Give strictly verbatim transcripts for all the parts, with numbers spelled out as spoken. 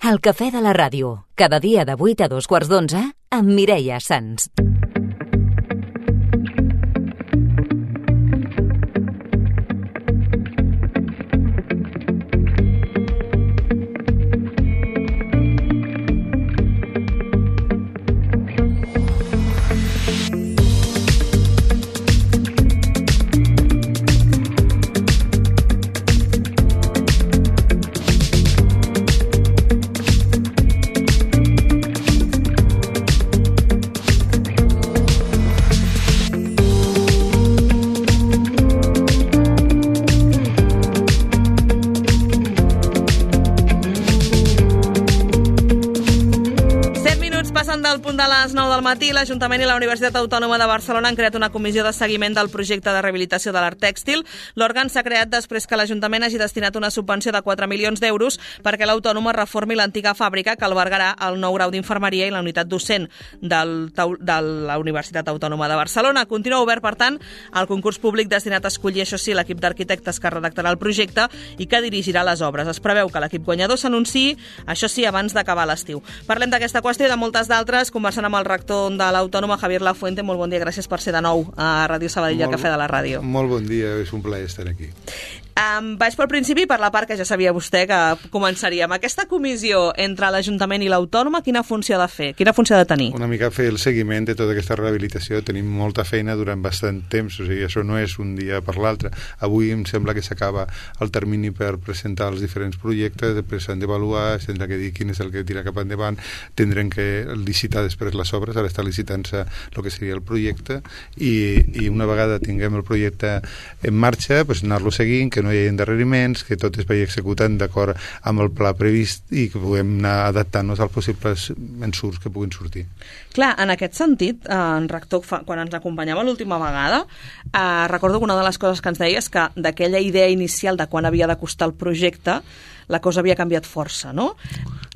El cafè de la ràdio, cada dia de vuit a dos quarts d'onze, amb Mireia Sans. Del punt de les nou del matí, l'Ajuntament i la Universitat Autònoma de Barcelona han creat una comissió de seguiment del projecte de rehabilitació de l'art tèxtil. L'òrgan s'ha creat després que l'Ajuntament hagi destinat una subvenció de quatre milions d'euros perquè l'Autònoma reformi l'antiga fàbrica que albergarà el nou grau d'infermeria i la unitat docent del, de la Universitat Autònoma de Barcelona. Continua obert, per tant, el concurs públic destinat a escollir, això sí, l'equip d'arquitectes que redactarà el projecte i que dirigirà les obres. Es preveu que l'equip guanyador s'anunciï, això sí, abans d'acabar l'estiu. Parlem d'aquesta qüestió i de moltes d'altres, conversant amb el rector de l'Autònoma, Javier Lafuente. Molt bon dia, gràcies per ser de nou a Ràdio Sabadell, al Cafè de la Ràdio. Molt bon dia, és un plaer estar aquí. Um, vaig pel principi, per la part que ja sabia vostè que començaríem. Aquesta comissió entre l'Ajuntament i l'Autònoma, quina funció ha de fer? Quina funció ha de tenir? Una mica fer el seguiment de tota aquesta rehabilitació. Tenim molta feina durant bastant temps, o sigui, això no és un dia per l'altre. Avui em sembla que s'acaba el termini per presentar els diferents projectes, després s'han d'avaluar, s'han de dir quin és el que tira cap endavant, tindrem que licitar després les obres, ara està licitant-se el que seria el projecte, i, i una vegada tinguem el projecte en marxa, pues, anar-lo seguint, que no hi ha endarreriments, que tot es vagi executant d'acord amb el pla previst i que puguem anar adaptant-nos als possibles ensurts que puguin sortir. Clar, en aquest sentit, eh, en rector, quan ens acompanyava l'última vegada, eh, recordo que una de les coses que ens deia és que d'aquella idea inicial de quan havia de costar el projecte, la cosa havia canviat força, no?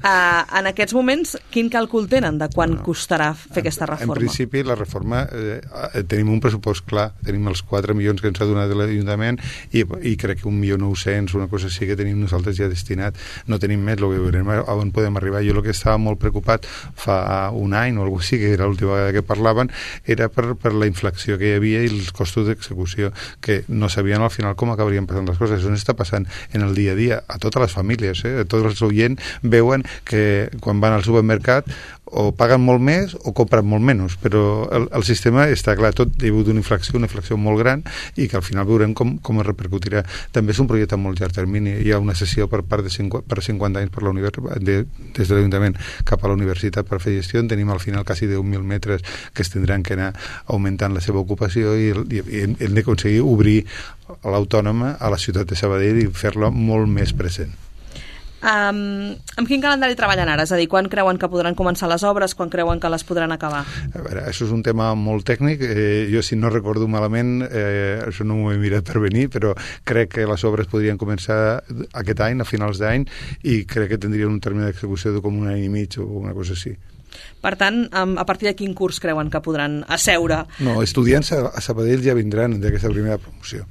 Uh, en aquests moments, quin càlcul tenen de quan no. costarà fer aquesta reforma? En principi, la reforma, eh, tenim un pressupost clar, tenim els quatre milions que ens ha donat l'Ajuntament i, i crec que un milió nou-cents, una cosa així que tenim nosaltres ja destinat, no tenim més, lo que veurem on podem arribar. Jo el que estava molt preocupat fa un any o alguna cosa així, que era l'última vegada que parlaven, era per, per la inflació que hi havia i els costos d'execució, que no sabien al final com acabarien passant les coses. Això està passant en el dia a dia a totes les famílies, eh? Tots els oients veuen que quan van al supermercat o paguen molt més o compren molt menys, però el, el sistema està clar, tot hi ha hagut una inflació, una inflació molt gran i que al final veurem com, com es repercutirà. També és un projecte a molt llarg termini, hi ha una sessió per part de cinquanta, per cinquanta anys per la de, des de l'Ajuntament cap a la universitat per fer gestió, en tenim al final quasi deu mil metres que es tindran que anar augmentant la seva ocupació i, i, i hem d'aconseguir obrir l'Autònoma a la ciutat de Sabadell i fer-la molt més present. Um, amb quin calendari treballen ara? És a dir, quan creuen que podran començar les obres, quan creuen que les podran acabar? A veure, això és un tema molt tècnic. Eh, jo, si no recordo malament, eh, això no m'ho he mirat per venir, però crec que les obres podrien començar aquest any, a finals d'any, i crec que tindrien un termini d'execució de com un any i mig o una cosa així. Per tant, a partir de quin curs creuen que podran asseure? No, estudiants a Sabadell ja vindran d'aquesta primera promoció.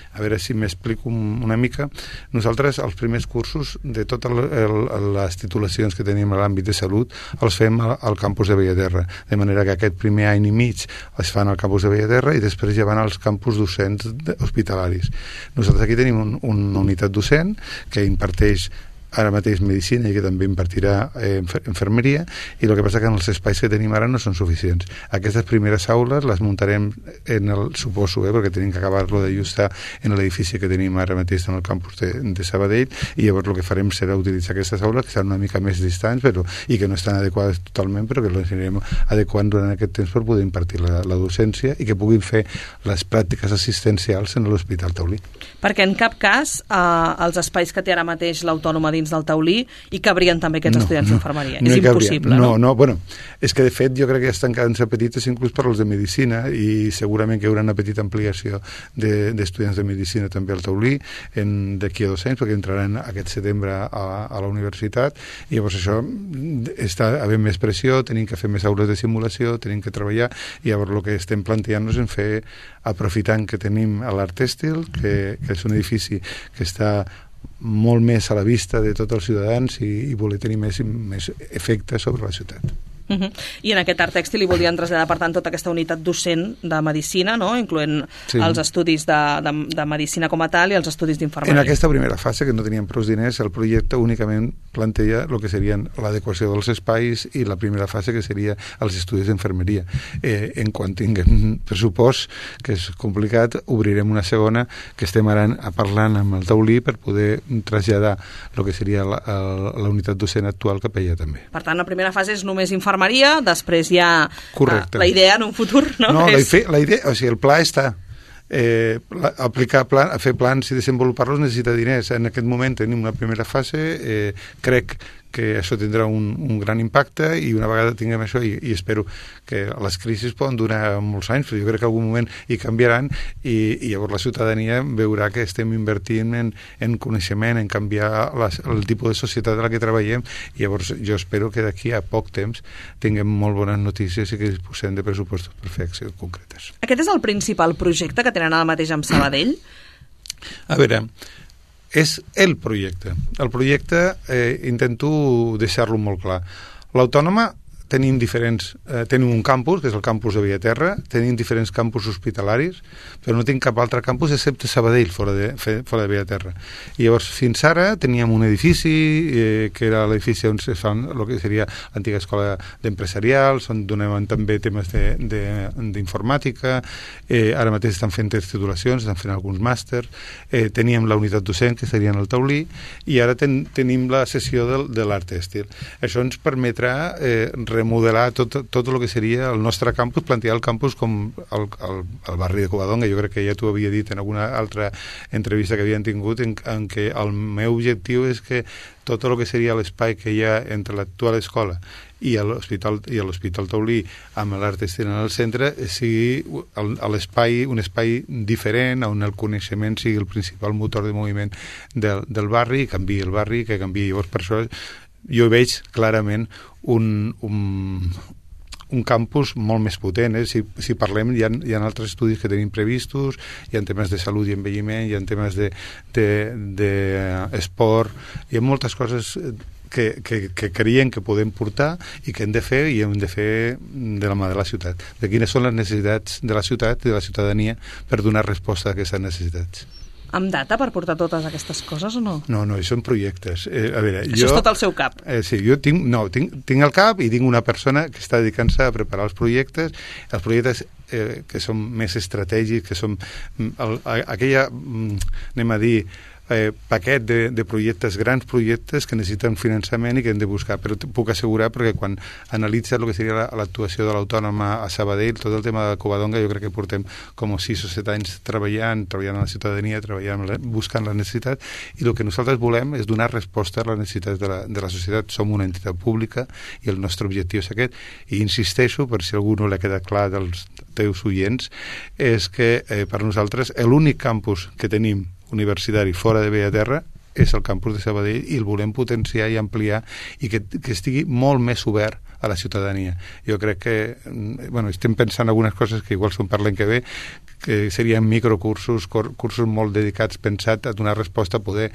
A veure si m'explico una mica. Nosaltres, els primers cursos de totes les titulacions que tenim a l'àmbit de salut, els fem al campus de Bellaterra, de manera que aquest primer any i mig es fan al campus de Bellaterra i després ja van als campus docents hospitalaris. Nosaltres aquí tenim un, una unitat docent que imparteix ara mateix medicina i que també impartirà eh, infermeria, i el que passa que en els espais que tenim ara no són suficients. Aquestes primeres aules les muntarem en el, suposo, eh, perquè tenim que acabar-lo d'ajustar en l'edifici que tenim ara mateix en el campus de, de Sabadell, i llavors el que farem serà utilitzar aquestes aules que seran una mica més distants però, i que no estan adequades totalment, però que les anirem adequant durant aquest temps per poder impartir la, la docència i que puguin fer les pràctiques assistencials en l'Hospital Taulí. Perquè en cap cas eh, els espais que té ara mateix l'Autònoma dins del Taulí i cabrien també aquests no, estudiants no, d'infermeria. No és impossible, no? No, no, bueno, és que de fet jo crec que estan quedant-se petites inclús per als de medicina i segurament que hi haurà una petita ampliació d'estudiants de, de medicina també al Taulí d'aquí a dos anys, perquè entraran aquest setembre a, a la universitat, i llavors això està havent més pressió, tenim que fer més aules de simulació, tenim que treballar, i llavors el que estem plantejant-nos en fer, aprofitant que tenim l'Art Tèxtil, que, que és un edifici que està molt més a la vista de tots els ciutadans i, i voler tenir més, més efecte sobre la ciutat. Uh -huh. I en aquest art tèxtil hi volien traslladar, per tant, tota aquesta unitat docent de medicina, no? Incloent sí. els estudis de, de, de medicina com a tal i els estudis d'infermeria. En aquesta primera fase, que no teníem prou diners, el projecte únicament planteja el que serien l'adequació dels espais i la primera fase, que seria els estudis d'infermeria. Eh, en quan tinguem pressupost, que és complicat, obrirem una segona, que estem ara parlant amb el taulí per poder traslladar el que seria la, la, la unitat docent actual cap allà també. Per tant, la primera fase és només infermeria, després hi ha Correcte. la idea en un futur, no? No, és... la, la idea, o sigui, el pla està. Eh, la, aplicar plan, fer plans i desenvolupar-los necessita diners. En aquest moment tenim una primera fase, eh, crec que això tindrà un, un gran impacte i una vegada tinguem això, i, i espero que les crisis poden durar molts anys, però jo crec que en algun moment hi canviaran i, i llavors la ciutadania veurà que estem invertint en, en coneixement, en canviar les, el tipus de societat en la que treballem, i llavors jo espero que d'aquí a poc temps tinguem molt bones notícies i que disposem de pressupostos per fer accions concretes. Aquest és el principal projecte que tenen ara mateix amb Sabadell? A veure, és el projecte. El projecte eh, intento deixar-lo molt clar. L'Autònoma tenim diferents, eh, tenim un campus, que és el campus de Bellaterra, tenim diferents campus hospitalaris, però no tenim cap altre campus excepte Sabadell, fora de, fora de Bellaterra. I llavors, fins ara, teníem un edifici, eh, que era l'edifici on es fan el que seria l'antiga escola d'empresarials, on donaven també temes d'informàtica, eh, ara mateix estan fent titulacions, estan fent alguns màsters, eh, teníem la unitat docent, que seria en el taulí, i ara ten, tenim la sessió de, de l'art tèxtil. Això ens permetrà eh, remodelar tot, tot el que seria el nostre campus, plantejar el campus com el, el, el barri de Covadonga. Jo crec que ja t'ho havia dit en alguna altra entrevista que havien tingut, en, en què el meu objectiu és que tot el que seria l'espai que hi ha entre l'actual escola i l'Hospital i l'Hospital Taulí amb l'art tèxtil en el centre sigui l'espai, un espai diferent, on el coneixement sigui el principal motor de moviment del, del barri, i canviï el barri, que canviï. Llavors, per això jo veig clarament un, un, un campus molt més potent. Eh? Si, si parlem, hi ha, hi ha altres estudis que tenim previstos, hi ha temes de salut i envelliment, hi ha temes d'esport, hi ha moltes coses que, que, que creiem que podem portar i que hem de fer, i hem de fer de la mà de la ciutat. De quines són les necessitats de la ciutat i de la ciutadania per donar resposta a aquestes necessitats. Amb data per portar totes aquestes coses o no? No, no, són projectes. Eh, a veure, Això jo, és tot al seu cap? Eh, sí, jo tinc, no, tinc, tinc el cap i tinc una persona que està dedicant-se a preparar els projectes, els projectes eh, que són més estratègics, que són el, aquella, anem a dir, Eh, paquet de, de projectes, grans projectes que necessiten finançament i que hem de buscar, però puc assegurar, perquè quan analitza el que seria l'actuació de l'Autònoma a Sabadell, tot el tema de Covadonga, jo crec que portem com sis o set anys treballant, treballant a la ciutadania, treballant, buscant la necessitat, i el que nosaltres volem és donar resposta a les necessitats de la, de la societat. Som una entitat pública i el nostre objectiu és aquest, i insisteixo, per si a algú no l'ha quedat clar dels teus oients, és que eh, per nosaltres l'únic campus que tenim universitari fora de Bellaterra és el campus de Sabadell, i el volem potenciar i ampliar, i que, que estigui molt més obert a la ciutadania. Jo crec que, bueno, estem pensant algunes coses que igual són per l'any que ve, que serien microcursos, cursos molt dedicats, pensat a donar resposta, a poder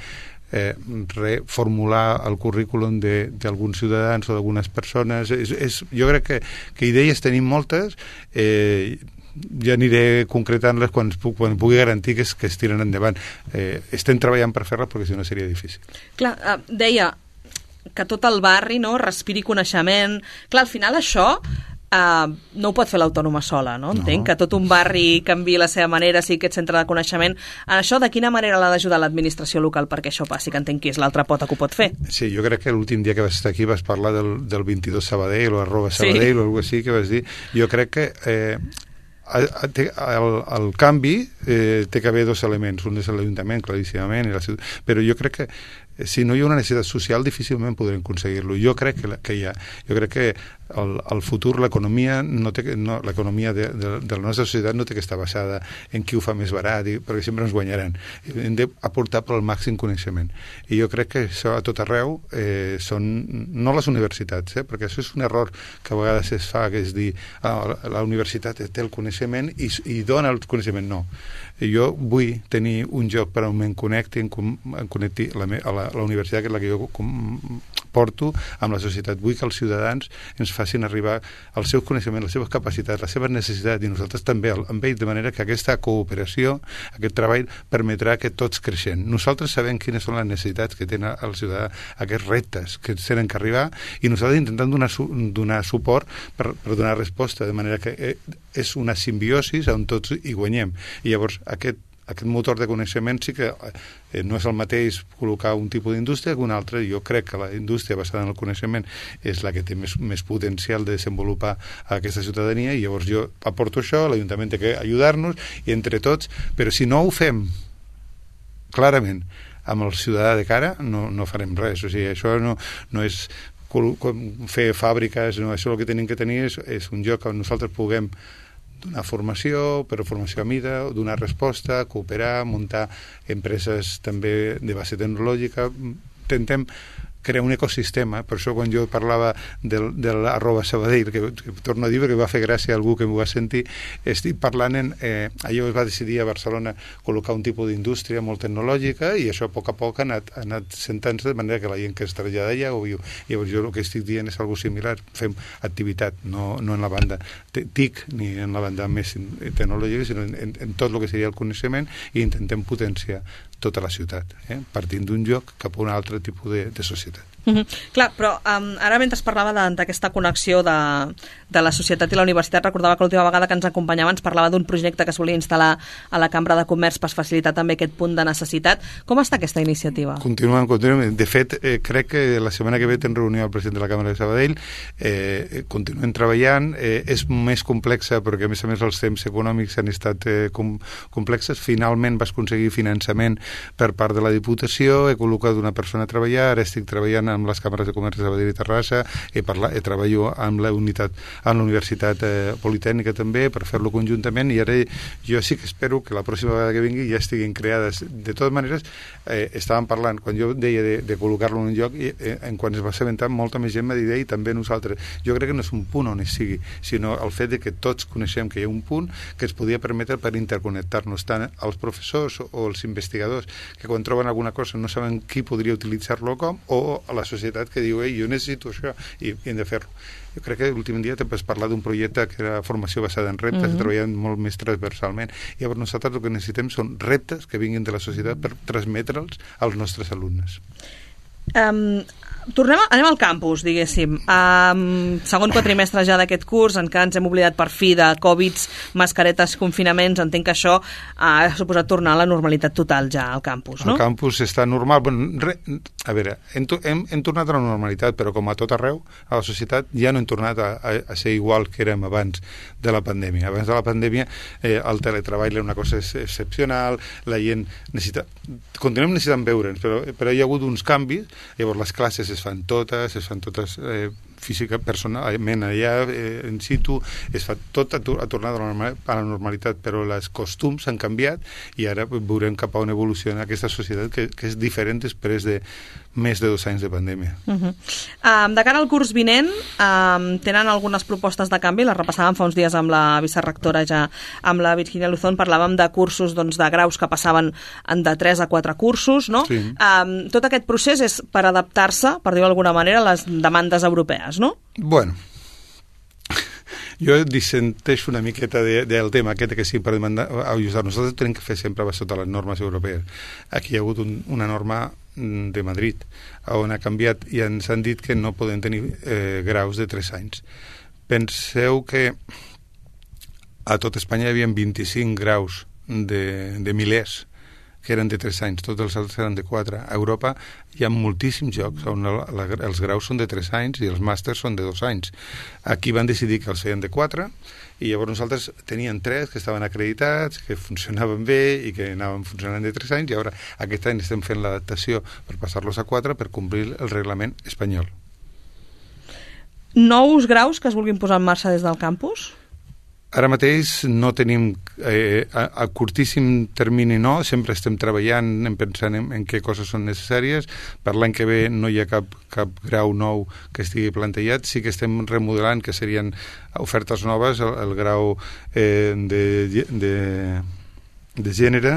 eh, reformular el currículum d'alguns ciutadans o d'algunes persones. És, és, jo crec que, que idees tenim moltes, eh, ja aniré concretant-les quan, quan pugui garantir que es, que es tiren endavant. Eh, estem treballant per fer-les, perquè si no seria difícil. Clar, eh, deia que tot el barri, no, respiri coneixement. Clar, al final això eh, no ho pot fer l'Autònoma sola, no? Entenc no. Que tot un barri canviï la seva manera, sigui aquest centre de coneixement. En això, de quina manera l'ha d'ajudar l'administració local perquè això passi, que entenc que és l'altra pota que ho pot fer? Sí, jo crec que l'últim dia que vas estar aquí vas parlar del, del vint-i-dos Sabadell o arroba Sabadell, sí, o alguna cosa així que vas dir. Jo crec que eh, El, el, el canvi eh, té que haver dos elements, un és l'Ajuntament, claríssimament, i la ciutat, però jo crec que si no hi ha una necessitat social, difícilment podrem aconseguir-lo. Jo crec que, que hi ha. Jo crec que el, el futur, l'economia no té, no, l'economia de, de, de la nostra societat no té que estar basada en qui ho fa més barat, i, perquè sempre ens guanyaran. Hem d'aportar per al màxim coneixement. I jo crec que això a tot arreu eh, són, no les universitats, eh, perquè això és un error que a vegades es fa, que és dir, ah, la universitat té el coneixement i, i dona el coneixement. No. Jo vull tenir un lloc per on em connecti, em connecti la, a la, la universitat, que és la que jo porto amb la societat. Vull que els ciutadans ens facin arribar el seu coneixement, les seves capacitats, les seves necessitats, i nosaltres també amb ells, de manera que aquesta cooperació, aquest treball, permetrà que tots creixem. Nosaltres sabem quines són les necessitats que tenen el ciutadà, aquests reptes que tenen que arribar, i nosaltres intentem donar, donar suport per, per donar resposta, de manera que és una simbiosi on tots hi guanyem. I llavors aquest aquest motor de coneixement sí que eh, no és el mateix col·locar un tipus d'indústria que un altre. Jo crec que la indústria basada en el coneixement és la que té més, més potencial de desenvolupar aquesta ciutadania, i llavors jo aporto això, l'Ajuntament té que ajudar-nos, i entre tots, però si no ho fem clarament amb el ciutadà de cara, no, no farem res. O sigui, això no, no és fer fàbriques, no, això el que tenim que tenir és, és un lloc on nosaltres puguem donar formació, però formació a mida, donar resposta, cooperar, muntar empreses també de base tecnològica. Intentem crear un ecosistema. Per això quan jo parlava del, de l'arroba Sabadell, que, que torno a dir que va fer gràcia a algú que m'ho va sentir, estic parlant en... Eh, allò es va decidir a Barcelona col·locar un tipus d'indústria molt tecnològica, i això a poc a poc ha anat, ha anat sentant-se, de manera que la gent que es trasllada allà ho viu. Llavors jo el que estic dient és algo similar. Fem activitat, no, no en la banda T I C ni en la banda més tecnològica, sinó en, en, en tot el que seria el coneixement, i intentem potenciar tota la ciutat, eh? partint d'un lloc cap a un altre tipus de, de societat. Mm-hmm. Clar, però um, ara mentre es parlava d'aquesta connexió de, de la societat i la universitat, recordava que l'última vegada que ens acompanyava ens parlava d'un projecte que es volia instal·lar a la Cambra de Comerç per facilitar també aquest punt de necessitat. Com està aquesta iniciativa? Continuem, continuem. De fet, eh, crec que la setmana que ve ten reunió el president de la Cambra de Sabadell, eh, continuem treballant, eh, és més complexa perquè a més a més els temps econòmics han estat eh, com, complexes. Finalment vas aconseguir finançament per part de la Diputació, he col·locat una persona a treballar, ara estic treballant amb les càmeres de comerç de Sabadell i Terrassa, he, parlat, he treballo amb la unitat, amb la Universitat eh, Politècnica també, per fer-lo conjuntament, i ara jo sí que espero que la pròxima vegada que vingui ja estiguin creades. De totes maneres, eh, estàvem parlant, quan jo deia de, de col·locar-lo en un lloc, i, eh, en quan es va assabentar, molta més gent m'ha dit, i també nosaltres. Jo crec que no és un punt on es sigui, sinó el fet de que tots coneixem que hi ha un punt que ens podia permetre per interconnectar-nos, tant els professors o els investigadors, que quan troben alguna cosa no saben qui podria utilitzar-lo com, o a la societat que diu, ei, jo necessito això, i, i hem de fer-lo. Jo crec que l'últim dia també has parlat d'un projecte que era formació basada en reptes, mm-hmm. treballant molt més transversalment. I llavors nosaltres el que necessitem són reptes que vinguin de la societat per transmetre'ls als nostres alumnes. Um, tornem a, anem al campus, diguéssim. Um, segon quatrimestre ja d'aquest curs, encara ens hem oblidat per fi de Covids, mascaretes, confinaments. Entenc que això ha suposat tornar a la normalitat total ja al campus, no? El campus està normal. Bueno, re, a veure, hem, hem, hem tornat a la normalitat, però com a tot arreu, a la societat ja no hem tornat a, a, a ser igual que érem abans de la pandèmia. Abans de la pandèmia eh, el teletreball era una cosa excepcional, la gent necessita... Continuem necessitant veure'ns, però, però hi ha hagut uns canvis. Llavors les classes es fan totes, es fan totes eh, física, personalment allà, eh, in situ, es fa tot a, a tornar a la, a la normalitat, però els costums han canviat i ara veurem cap a on evoluciona aquesta societat que, que és diferent després de més de dos anys de pandèmia. Uh-huh. Um, de cara al curs vinent, um, tenen algunes propostes de canvi, les repassàvem fa uns dies amb la vicerectora ja, amb la Virginia Luzón, parlàvem de cursos, doncs, de graus que passaven de tres a quatre cursos, no? Sí. Um, tot aquest procés és per adaptar-se, per dir-ho d'alguna manera, a les demandes europees, no? Bueno, jo dissenteixo una miqueta de, del tema aquest que sí per demandar, ajustar. Nosaltres tenim que fer sempre sota les normes europees. Aquí hi ha hagut un, una norma de Madrid on ha canviat i ens han dit que no poden tenir eh, graus de tres anys. Penseu que a tot Espanya hi havia vint-i-cinc graus de, de milers que eren de tres anys, tots els altres eren de quatre. A Europa hi ha moltíssims llocs on la, la, els graus són de tres anys i els màsters són de dos anys. Aquí van decidir que els feien de quatre i llavors nosaltres teníem tres que estaven acreditats, que funcionaven bé i que anaven funcionant de tres anys i ara aquest any estem fent l'adaptació per passar-los a quatre per complir el reglament espanyol. Nous graus que es vulguin posar en marxa des del campus? Ara mateix no tenim, eh, a, a curtíssim termini no, sempre estem treballant en pensant en, en què coses són necessàries. Per l'any que ve no hi ha cap, cap grau nou que estigui plantejat, sí que estem remodelant, que serien ofertes noves, el, el grau eh, de, de, de gènere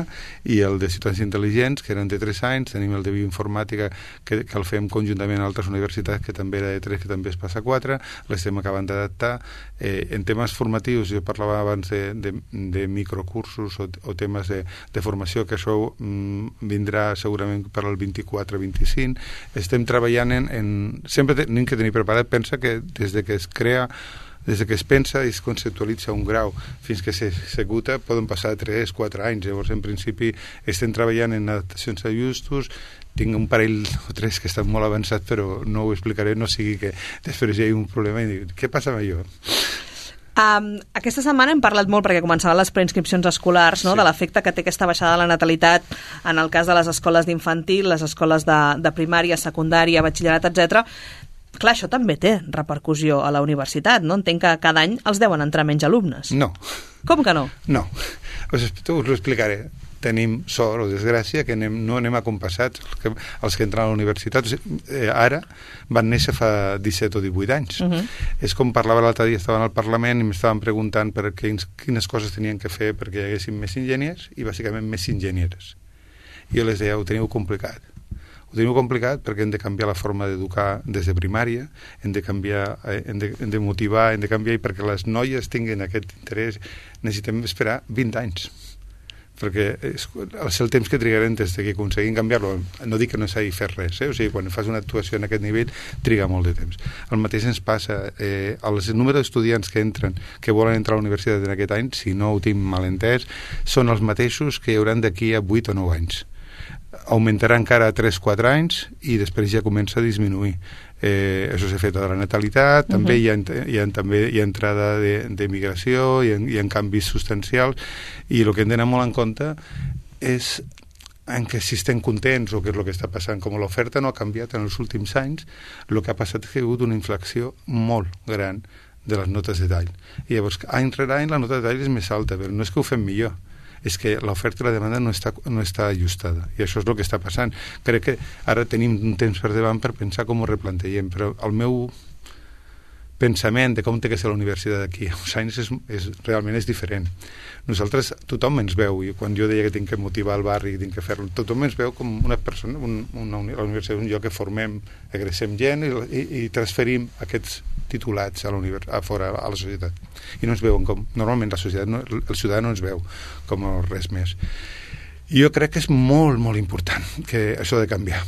i el de ciutadans intel·ligents, que eren de tres anys, tenim el de bioinformàtica que, que el fem conjuntament a altres universitats que també era de tres, que també es passa a quatre, l'estem acabant d'adaptar. Eh, en temes formatius, jo parlava abans de, de, de microcursos o, o temes de, de formació, que això mm, vindrà segurament per al vint-i-quatre vint-i-cinc. Estem treballant en... en sempre tenim que tenir preparat, pensa que des de que es crea des que es pensa i es conceptualitza un grau fins que s'executa poden passar tres o quatre anys. Llavors, en principi, estem treballant en adaptacions a justos. Tinc un parell o tres que estan molt avançats, però no ho explicaré, no sigui que després hi hagi un problema i dic, què passa amb allò? Um, aquesta setmana hem parlat molt, perquè començaven les preinscripcions escolars, no? Sí. De l'efecte que té aquesta baixada de la natalitat en el cas de les escoles d'infantil, les escoles de, de primària, secundària, batxillerat, etcètera. Clar, això també té repercussió a la universitat, no? Entenc que cada any els deuen entrar menys alumnes. No. Com que no? No. Us, us ho explicaré. Tenim sort o desgràcia que anem, no anem acompassats els que, els que entren a la universitat. O sigui, eh, ara van néixer fa disset o divuit anys. Uh -huh. És com parlava l'altre dia, estaven al Parlament i m'estaven preguntant per quins, quines coses tenien que fer perquè hi haguessin més enginyers i bàsicament més enginyeres. I jo les deia, ho teniu complicat. Ho tenim complicat perquè hem de canviar la forma d'educar des de primària, hem de canviar, hem de, hem de motivar, hem de canviar, i perquè les noies tinguin aquest interès necessitem esperar vint anys, perquè és, és el temps que trigarem des que aconseguim canviar-lo. No dic que no s'hagi fet res, eh? O sigui, quan fas una actuació en aquest nivell triga molt de temps. El mateix ens passa, eh, el número d'estudiants que entren, que volen entrar a la universitat en aquest any, si no ho tinc mal entès, són els mateixos que hi hauran d'aquí a vuit o nou anys. Augmentarà encara a tres o quatre anys i després ja comença a disminuir. Eh, això s'ha fet a la natalitat, també, uh -huh. hi, ha, hi, ha, també hi ha entrada de, de migració, hi ha, hi ha canvis substancials, i el que hem d'anar molt en compte és en què si estem contents o què és el que està passant. Com l'oferta no ha canviat en els últims anys, el que ha passat és que hi ha hagut una inflació molt gran de les notes de tall. I llavors, any rere any la nota de tall és més alta, però no és que ho fem millor, és que l'oferta i la demanda no està, no està ajustada, i això és el que està passant. Crec que ara tenim un temps per davant per pensar com ho replantegem, però el meu pensament de com té que ser la universitat d'aquí a uns anys és, és, realment és diferent. Nosaltres, tothom ens veu, i quan jo deia que tinc que motivar el barri, que tinc que fer-lo, tothom ens veu com una persona, un, una, la universitat és un lloc que formem, agressem gent i, i, i transferim aquests titulats a, a fora, a la societat. I no ens veuen com... Normalment la societat, no, el ciutadà no ens veu com res més. I jo crec que és molt, molt important que això ha de canviar.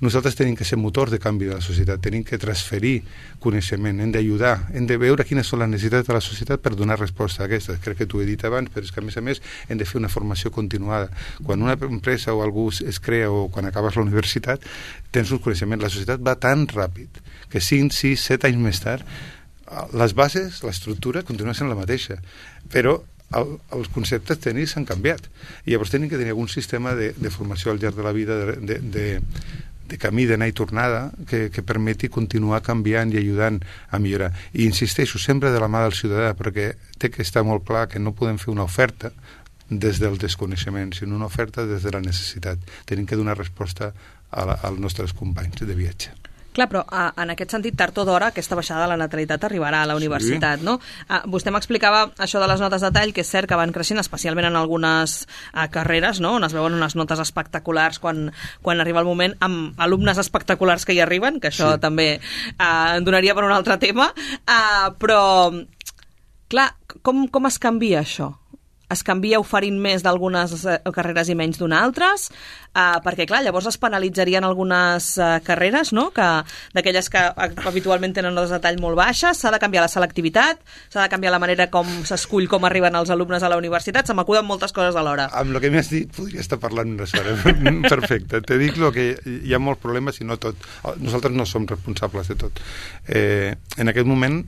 Nosaltres tenim que ser motors de canvi de la societat, tenim que transferir coneixement, hem d'ajudar, hem de veure quines són les necessitats de la societat per donar resposta a aquestes. Crec que t'ho he dit abans, però és que a més a més hem de fer una formació continuada. Quan una empresa o algú es crea o quan acabes la universitat, tens un coneixement. La societat va tan ràpid que cinc, sis, set anys més tard les bases, l'estructura continua sent la mateixa, però el, els conceptes tècnics s'han canviat i llavors tenim que tenir algun sistema de, de formació al llarg de la vida, de, de, de, de camí d'anar i tornada que, que permeti continuar canviant i ajudant a millorar. I insisteixo, sempre de la mà del ciutadà, perquè té que estar molt clar que no podem fer una oferta des del desconeixement, sinó una oferta des de la necessitat. Tenim que donar resposta a la, als nostres companys de viatge. Clar, però a, en aquest sentit, tard o d'hora, aquesta baixada de la natalitat arribarà a la universitat, sí. No? A, vostè m'explicava això de les notes de tall, que és cert que van creixent, especialment en algunes a, carreres, no? On es veuen unes notes espectaculars quan, quan arriba el moment, amb alumnes espectaculars que hi arriben, que això sí. També a, en donaria per un altre tema, a, però, clar, com, com es canvia això? Es canvia oferint més d'algunes carreres i menys d'unes altres? uh, perquè, clar, llavors es penalitzarien algunes uh, carreres, no?, que d'aquelles que habitualment tenen notes de tall molt baixes, s'ha de canviar la selectivitat, s'ha de canviar la manera com s'escull com arriben els alumnes a la universitat, se m'acuden moltes coses alhora. Amb el que m'has dit podria estar parlant una estona. Perfecte. Te dic lo que hi ha molts problemes i no tot. Nosaltres no som responsables de tot. Eh, en aquest moment,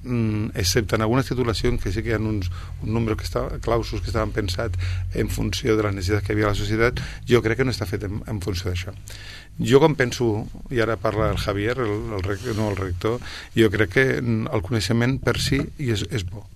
excepte en algunes titulacions que sí que hi ha uns, un nombre que està, clausos que estaven pensats en funció de la necessitat que hi havia a la societat, jo crec que no està fet en, en funció d'això. Jo com penso, i ara parla el Javier, el, el, no el rector, jo crec que el coneixement per si és, és bo.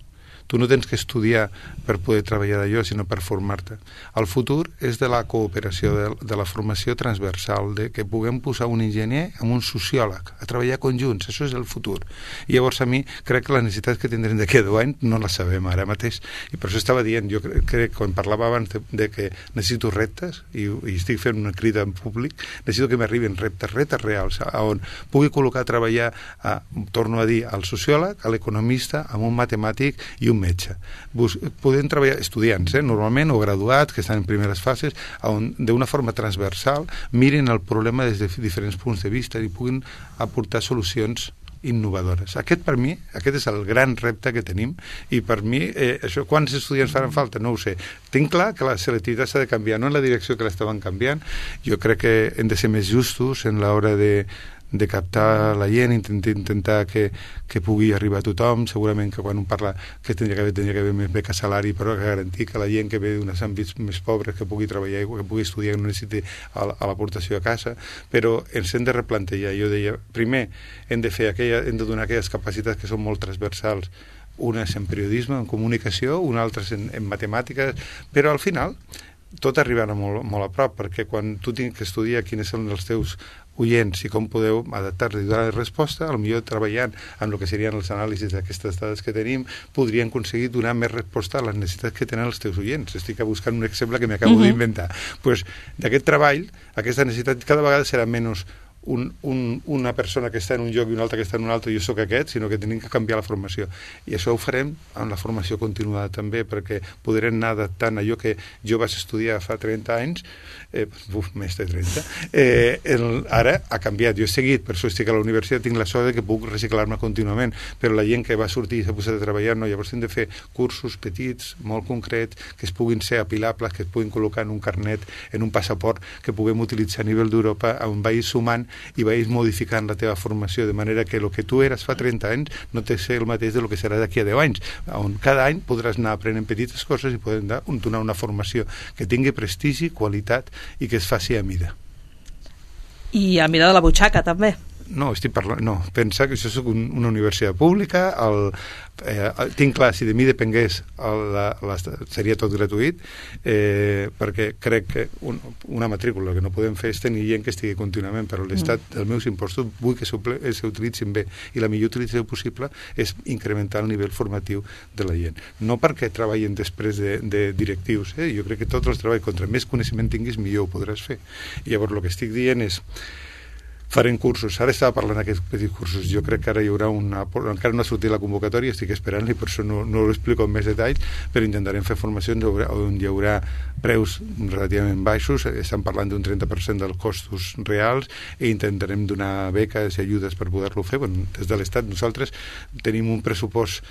Tu no tens que estudiar per poder treballar d'allò, sinó per formar-te. El futur és de la cooperació, de, de la formació transversal, de que puguem posar un enginyer amb un sociòleg a treballar conjunts. Això és el futur. I llavors a mi crec que les necessitats que tindrem d'aquí a deu anys no les sabem ara mateix. I per això estava dient, jo crec que quan parlava abans de, de que necessito reptes, i, i estic fent una crida en públic, necessito que m'arribin reptes, reptes reals, on pugui col·locar a treballar, a, torno a dir, al sociòleg, a l'economista, amb un matemàtic i un metge. Bus podem treballar estudiants, eh, normalment, o graduats, que estan en primeres fases, on d'una forma transversal mirin el problema des de diferents punts de vista i puguin aportar solucions innovadores. Aquest, per mi, aquest és el gran repte que tenim i per mi, eh, això, quants estudiants faran falta? No ho sé. Tinc clar que la selectivitat s'ha de canviar, no en la direcció que l'estaven canviant. Jo crec que hem de ser més justos en l'hora de de captar la gent, intentar, intentar que, que pugui arribar a tothom. Segurament que quan un parla que tindria que haver, tindria que haver més beca salari, però que garantir que la gent que ve d'uns àmbits més pobres que pugui treballar i que pugui estudiar no necessiti a l'aportació a casa, però ens hem de replantejar. Jo deia, primer hem de fer aquella, hem de donar aquelles capacitats que són molt transversals, unes en periodisme, en comunicació, unes altres en, en matemàtiques, però al final tot arribarà molt, molt a prop, perquè quan tu tens que estudiar quins són els teus oients i com podeu adaptar-li i donar resposta, potser treballant amb el que serien els anàlisis d'aquestes dades que tenim, podrien aconseguir donar més resposta a les necessitats que tenen els teus oients. Estic buscant un exemple que m'acabo uh -huh. d'inventar. Pues, d'aquest treball, aquesta necessitat cada vegada serà menys Un, un, una persona que està en un lloc i una altra que està en un altre, jo sóc aquest, sinó que tenim que canviar la formació. I això ho farem amb la formació continuada també, perquè podrem anar adaptant allò que jo vaig estudiar fa trenta anys, eh, uf, més de trenta, eh, el, ara ha canviat. Jo he seguit, per això estic a la universitat, tinc la sort de que puc reciclar-me contínuament, però la gent que va sortir i s'ha posat a treballar, no, llavors hem de fer cursos petits, molt concrets, que es puguin ser apilables, que es puguin col·locar en un carnet, en un passaport, que puguem utilitzar a nivell d'Europa, on vagis sumant i vagis modificant la teva formació de manera que el que tu eres fa trenta anys no té ser el mateix del que serà d'aquí a deu anys, on cada any podràs anar aprenent petites coses i podem donar una formació que tingui prestigi, qualitat i que es faci a mida. I a mida de la butxaca, també. No, estic parlant, no, pensa que això és un, una universitat pública, el, eh, tinc clar, si de mi depengués el, la, la, seria tot gratuït, eh, perquè crec que un, una matrícula que no podem fer és tenir gent que estigui contínuament, però l'Estat mm. dels meus impostos vull que s'utilitzin bé, i la millor utilització possible és incrementar el nivell formatiu de la gent. No perquè treballin després de, de directius, eh? Jo crec que tots els treballs, contra més coneixement tinguis, millor ho podràs fer. I llavors el que estic dient és farem cursos. Ara estava parlant d'aquests petits cursos. Jo crec que ara hi haurà una... Encara no ha sortit la convocatòria, estic esperant-li, per això no, no ho explico amb més detalls, però intentarem fer formacions on hi haurà preus relativament baixos. Estan parlant d'un trenta per cent dels costos reals i intentarem donar beques i ajudes per poder-lo fer. Bueno, des de l'Estat nosaltres tenim un pressupost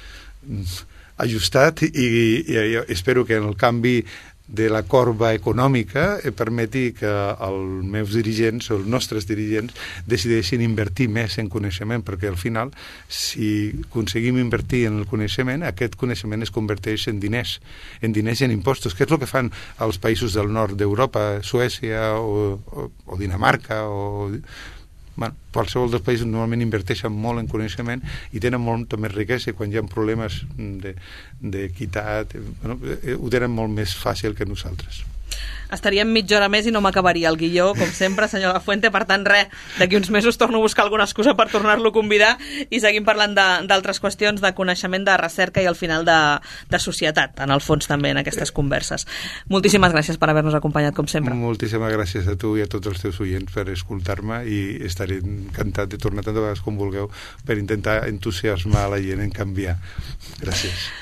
ajustat i, i, i espero que en el canvi de la corba econòmica eh, permeti que els meus dirigents o els nostres dirigents decideixin invertir més en coneixement, perquè al final si aconseguim invertir en el coneixement, aquest coneixement es converteix en diners, en diners i en impostos, que és el que fan els països del nord d'Europa, Suècia o, o, o Dinamarca o... Bueno, qualsevol dels països normalment inverteixen molt en coneixement i tenen molta més riquesa, i quan hi ha problemes d'equitat, bueno, ho tenen molt més fàcil que nosaltres. Estaríem mitja hora més i no m'acabaria el guió, com sempre, senyor Lafuente. Per tant, res, d'aquí uns mesos torno a buscar alguna excusa per tornar-lo a convidar i seguim parlant d'altres qüestions de coneixement, de recerca i al final de, de societat, en el fons també, en aquestes converses. Moltíssimes gràcies per haver-nos acompanyat, com sempre. Moltíssimes gràcies a tu i a tots els teus oients per escoltar-me, i estaré encantat de tornar tantes vegades com vulgueu per intentar entusiasmar la gent en canviar. Gràcies.